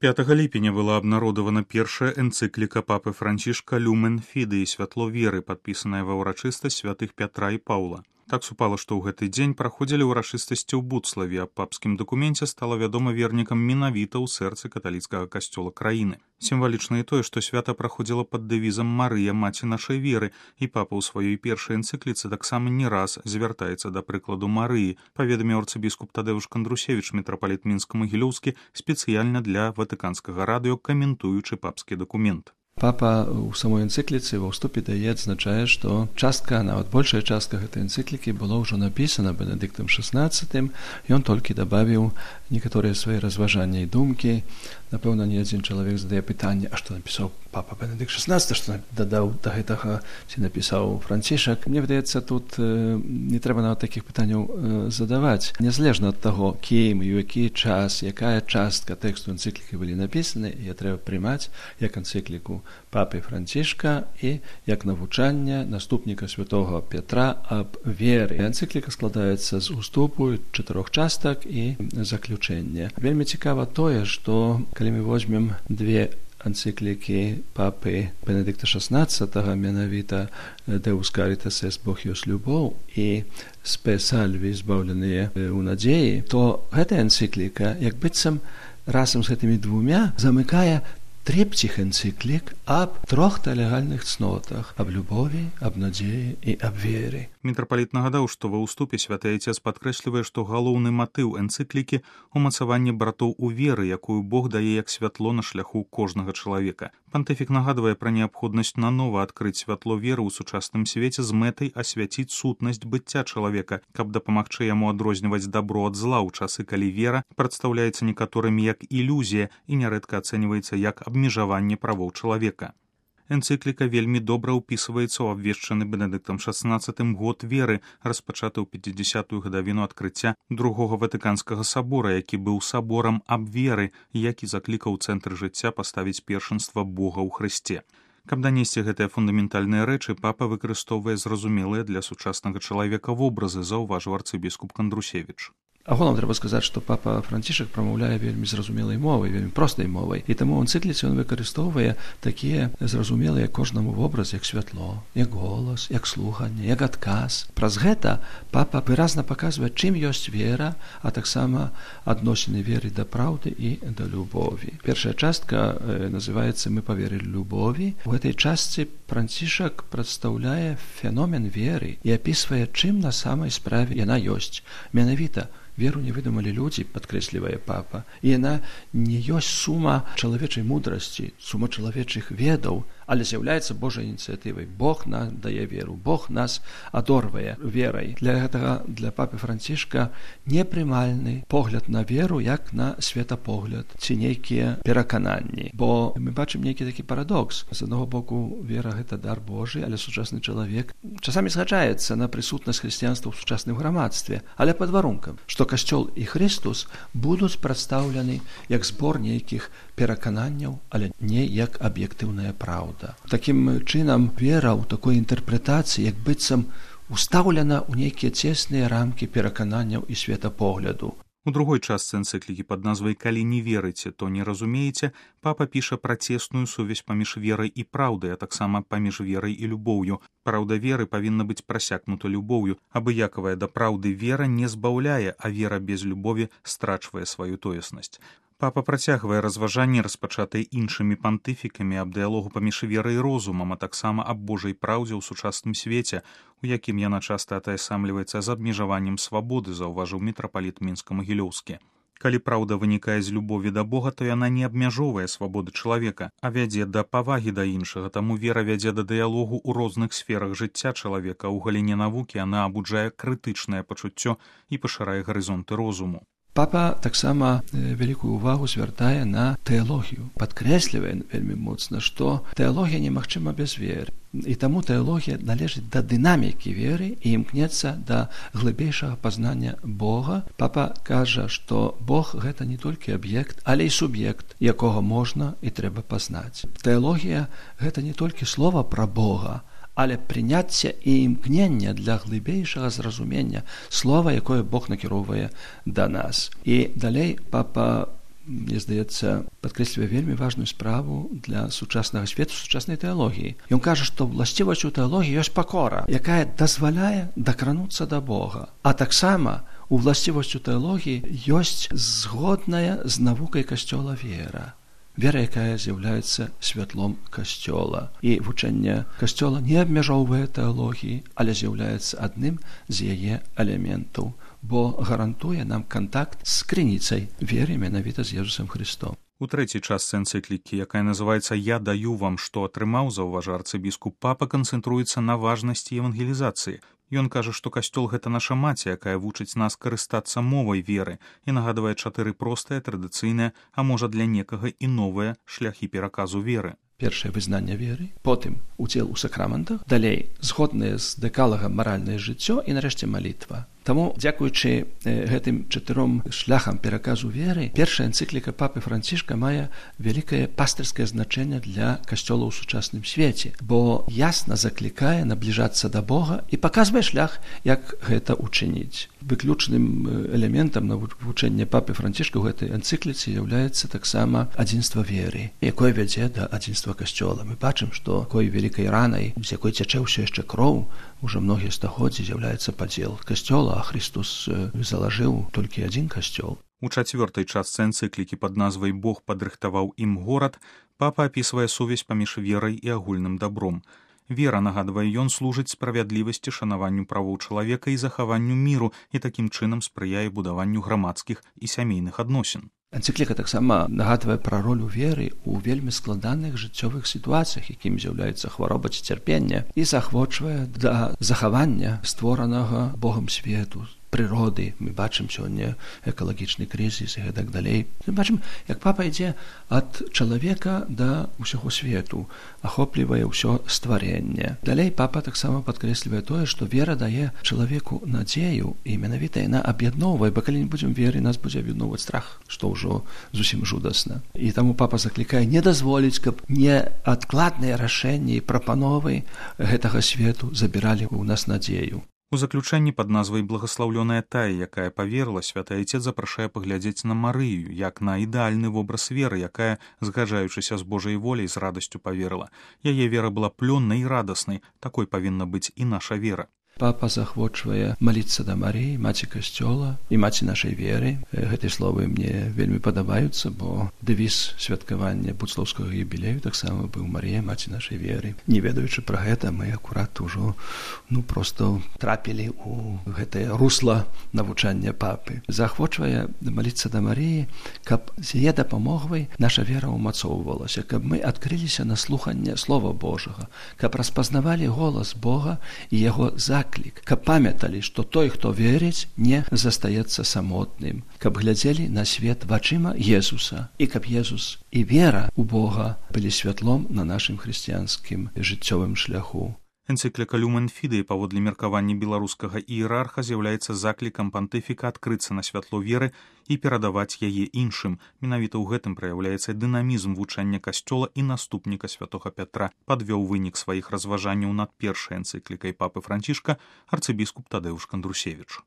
5 ліпеня была абнародавана першая энцыкліка папы Францішка «Люмен Фідей» «Святло веры», падпісаная ва ўрачыстасць святых Пятра і Паўла. Так супала, што ў гэты дзень праходзілі ўрачыстасці ў Буцлаве, а папскім дакуменце стала вядома вернікам менавіта ў сэрцы каталіцкага касцёла краіны. Сімвалічна і тое, што свята праходзіла пад дэвізам «Марыя, маці нашай веры», і папа ў сваёй першай энцыкліцы таксама не раз звяртаецца да прыкладу Марыі, паведаміў арцыбіскуп Тадэўш Кандрусевіч, мітрапаліт Мінска-Магілёўскі, спецыяльна для Ватыканскага радыё, каментуючы папскі дакумент. Папа ў самой энцыкліцы ва ўступе дае адзначае, што частка, нават большая частка гэтай энцыклікі было ўжо напісана Бенедыктам XVI, ён толькі дабавіў некаторыя свае разважанні і думкі. Напэўна, не адзін чалавек задае пытанне, а што напісаў папа Бенедыкт XVI, што дадаў да гэтага, ці напісаў Францішак. Мне выдаецца, тут не трэба нават такіх пытанняў задаваць. Незалежна ад таго, кім і ў які час, якая частка тэксту энцыклікі былі напісаны, я трэба прымаць як энцыкліку папы Францішка і як навучанне наступніка святога Петра аб веры. Энцыкліка складаецца з уступу 4 частак і заключэння. Вельмі цікава тое, што калі мы возьмем две энцыклікі папы Бенедыкта XVI, менавіта «Deus caritas est, Бог ёсць любоў» і «Spe salvi, збаўленыя ў надзеі», то гэта энцыкліка, як быццам разам з гэтымі двумя замыкае трыпціх энцыклік аб 3 легальных цнотах, аб любові, аб надзеі і аб веры. Мітрапаліт нагадаў, што ва ўступе святы Айцец падкрэслівае, што галоўны матыў энцыклікі – умацаванне братоў у веры, якую Бог дае як святло на шляху кожнага чалавека. Пантыфік нагадвае пра неабходнасць нанова адкрыць святло веры ў сучасным свеце з мэтай асвяціць сутнасць быцця чалавека, каб дапамагчы яму адрозніваць дабро ад зла ў часы, калі вера прадстаўляецца некаторымі як ілюзія і нярэдка ацэньваецца як абмежаванне правоў чалавека. Энцыкліка вельмі добра ўпісваецца ў абвешчаны Бенедыктам XVI год веры, распачаты ў 50-ю гадавіну адкрыцця другога Ватыканскага сабора, які быў саборам аб веры, які заклікаў цэнтр жыцця паставіць першынства Бога ў Хрысце. Каб данесці гэтыя фундаментальныя рэчы, папа выкарыстоўвае зразумелыя для сучаснага чалавека вобразы, заўважыў арцыбіскуп Кандрусевіч. Агулам трэба сказаць, што папа Францішак прамаўляе вельмі зразумелай мовай, вельмі простай мовай. І таму ў энцыкліцы ён выкарыстоўвае такія зразумелыя кожнаму вобраз, як святло, як голас, як слуханне, як адказ. Праз гэта папа выразна паказвае, чым ёсць вера, а таксама адносіны веры да праўды і да любові. Першая частка называецца «Мы паверылі любові». У гэтай частцы Францішак прадстаўляе феномен веры і апісвае, чым на самай справе яна ёсць. Менавіта веру не выдумалі людзі, падкрэслівае папа, і яна не ёсць сума чалавечай мудрасці, сума чалавечых ведаў, але з'яўляецца Божай ініцыятывай. Бог нам дае веру, Бог нас адорвае верай. Для гэтага, для папы Францішка непрымальны погляд на веру як на светапогляд ці нейкія перакананні. Бо мы бачым нейкі такі парадокс. З аднаго боку, вера – гэта дар Божы, але сучасны чалавек часамі згаджаецца на прысутнасць хрысціянства ў сучасным грамадстве, але пад варункам, што Касцёл і Хрыстус будуць прадстаўлены як збор нейкіх перакананняў, але не як аб'ектыўная праўда. Такім чынам, вера ў такой інтэрпрэтацыі як быццам устаўлена ў нейкія цесныя рамкі перакананняў і светапогляду. У другой частцы энцыклікі пад назвай «Калі не верыце, то не разумееце» папа піша пра цесную сувязь паміж верай і праўдай, а таксама паміж верай і любоўю. Праўда веры павінна быць прасякнута любоўю. Абыякавая да праўды вера не збаўляе, а вера без любові страчвае сваю тоеснасць. Папа працягвае разважанні, распачатыя іншымі пантыфікамі аб дыялогу паміж верай і розумам, а таксама аб Божай праўдзе ў сучасным свеце, у якім яна часта атаясамліваецца з абмежаваннем свабоды, заўважыў мітрапаліт Мінска-Магілёўскі. Калі праўда вынікае з любові да Бога, то яна не абмяжоўвае свабоды чалавека, а вядзе да павагі да іншага, таму вера вядзе да дыялогу ў розных сферах жыцця чалавека. У галіне навукі яна абуджае крытычнае пачуццё і пашырае гарызонты розуму. Папа таксама вялікую ўвагу звяртае на тэалогію. Падкрэслівае вельмі моцна, што тэалогія немагчыма без веры. І таму тэалогія належыць да дынамікі веры і імкнецца да глыбейшага пазнання Бога. Папа кажа, што Бог – гэта не толькі аб'ект, але і суб'ект, якога можна і трэба пазнаць. Тэалогія – гэта не толькі слова пра Бога, але прыняцце і імкнення для глыбейшага зразумення слова, якое Бог накіроўвае да нас. І далей папа мне здаецца, падкрэслівае вельмі важную справу для сучаснага свету, сучаснай тэалогіі. Ён кажа, што ўласцівасць у тэалогіі ёсць пакора, якая дазваляе дакрануцца да Бога. А таксама уласцівасць у тэалогіі ёсць згодная з навукай Касцёла вера. Вера, якая з'яўляецца святлом Касцёла. І вучэнне Касцёла не абмяжоўвае тэалогіі, але з'яўляецца адным з яе элементаў, бо гарантуе нам кантакт з крыніцай веры менавіта з Езусам Христом. У трэцяй частцы энцыклікі, якая называецца «Я даю вам, што атрымаў», заўважа арцыбіскуп, папа канцэнтруецца на важнасці евангелізацыі. Ён кажа, што Касцёл – гэта наша маці, якая вучыць нас карыстацца мовай веры і нагадвае 4 простыя, традыцыйныя, а можа для некага і новыя шляхі пераказу веры. Першае вызнанне веры, потым удзел у сакраментах, далей згоднае з дэкалагам маральнае жыццё і нарэшце малітва. Таму, дзякуючы гэтым 4 шляхам пераказу веры, першая энцыкліка папы Францішка мае вялікае пастырскае значэнне для Касцёла ў сучасным свеце, бо ясна заклікае набліжацца да Бога і паказвае шлях, як гэта учыніць. Выключным элементам навучання папы Францішка ў гэтай энцыкліцы з'яўляецца таксама адзінства веры, якое вядзе да адзінства Касцёла. Мы бачым, што такой вялікай ранай, з якой цячэ ўсё яшчэ кроў, ужо многія стагоддзі з'яўляецца падзел Касцёла, а Христос залажыў толькі адзін Касцёл. У 4-й частцы энцыклікі пад назвай «Бог падрыхтаваў ім горад» папа апісвае сувязь паміж верай і агульным дабром. Вера, нагадвае ён, служыць справядлівасці, шанаванню правоў чалавека і захаванню міру і такім чынам спрыяе будаванню грамадскіх і сямейных адносін. Энцыкліка таксама нагадвае пра ролю веры ў вельмі складаных жыццёвых сітуацыях, якім з'яўляецца хвароба ці цярпенне, і заахвочвае да захавання створанага Богам свету, прыроды. Мы бачым сёння экалагічны крызіс і гэтак далей. Мы бачым, як папа ідзе ад чалавека да ўсяго свету, ахоплівае ўсё стварэнне. Далей папа таксама падкрэслівае тое, што вера дае чалавеку надзею, і менавіта яна аб'ядноўвае, бо калі не будзем веры, нас будзе аб'ядноўваць страх, што ўжо зусім жудасна. І таму папа заклікае не дазволіць, каб неадкладныя рашэнні і прапановы гэтага свету забіралі ў нас надзею. У заключэнні пад назвай «Благаслаўлёная тая, якая паверыла», святы айцец запрашае паглядзець на Марыю, як на ідэальны вобраз веры, якая, згаджаючыся з Божай воляй, з радасцю паверыла. Яе вера была плённай і радаснай, такой павінна быць і наша вера. Папа захвочвае маліцца да Марыі, маці Касцёла і маці нашай веры. Гэтыя словы мне вельмі падабаюцца, бо дэвіз святкавання будслаўскага юбілею таксама быў «Марыя, маці нашай веры». Не ведаючы пра гэта, мы акурат ужо проста трапілі ў гэтае русла навучання папы. Захвочвае маліцца да Марыі, каб з яе дапамогай наша вера ўмацоўвалася, каб мы адкрыліся на слуханне Слова Божага, каб распазнавалі голас Бога і яго заклік, каб памяталі, што той, хто верыць, не застаецца самотным, каб глядзелі на свет вачыма Езуса, і каб Езус і вера ў Бога былі святлом на нашым хрысціянскім жыццёвым шляху. Энцыкліка «Люмен Фідей» паводле меркавання беларускага іерарха з'яўляецца заклікам пантыфіка адкрыцца на святло веры і перадаваць яе іншым. Менавіта ў гэтым праяўляецца дынамізм вучання Касцёла і наступніка святога Пятра. Падвёў вынік сваіх разважанняў над першай энцыклікай папы Францішка арцыбіскуп Тадэўш Кандрусевіч.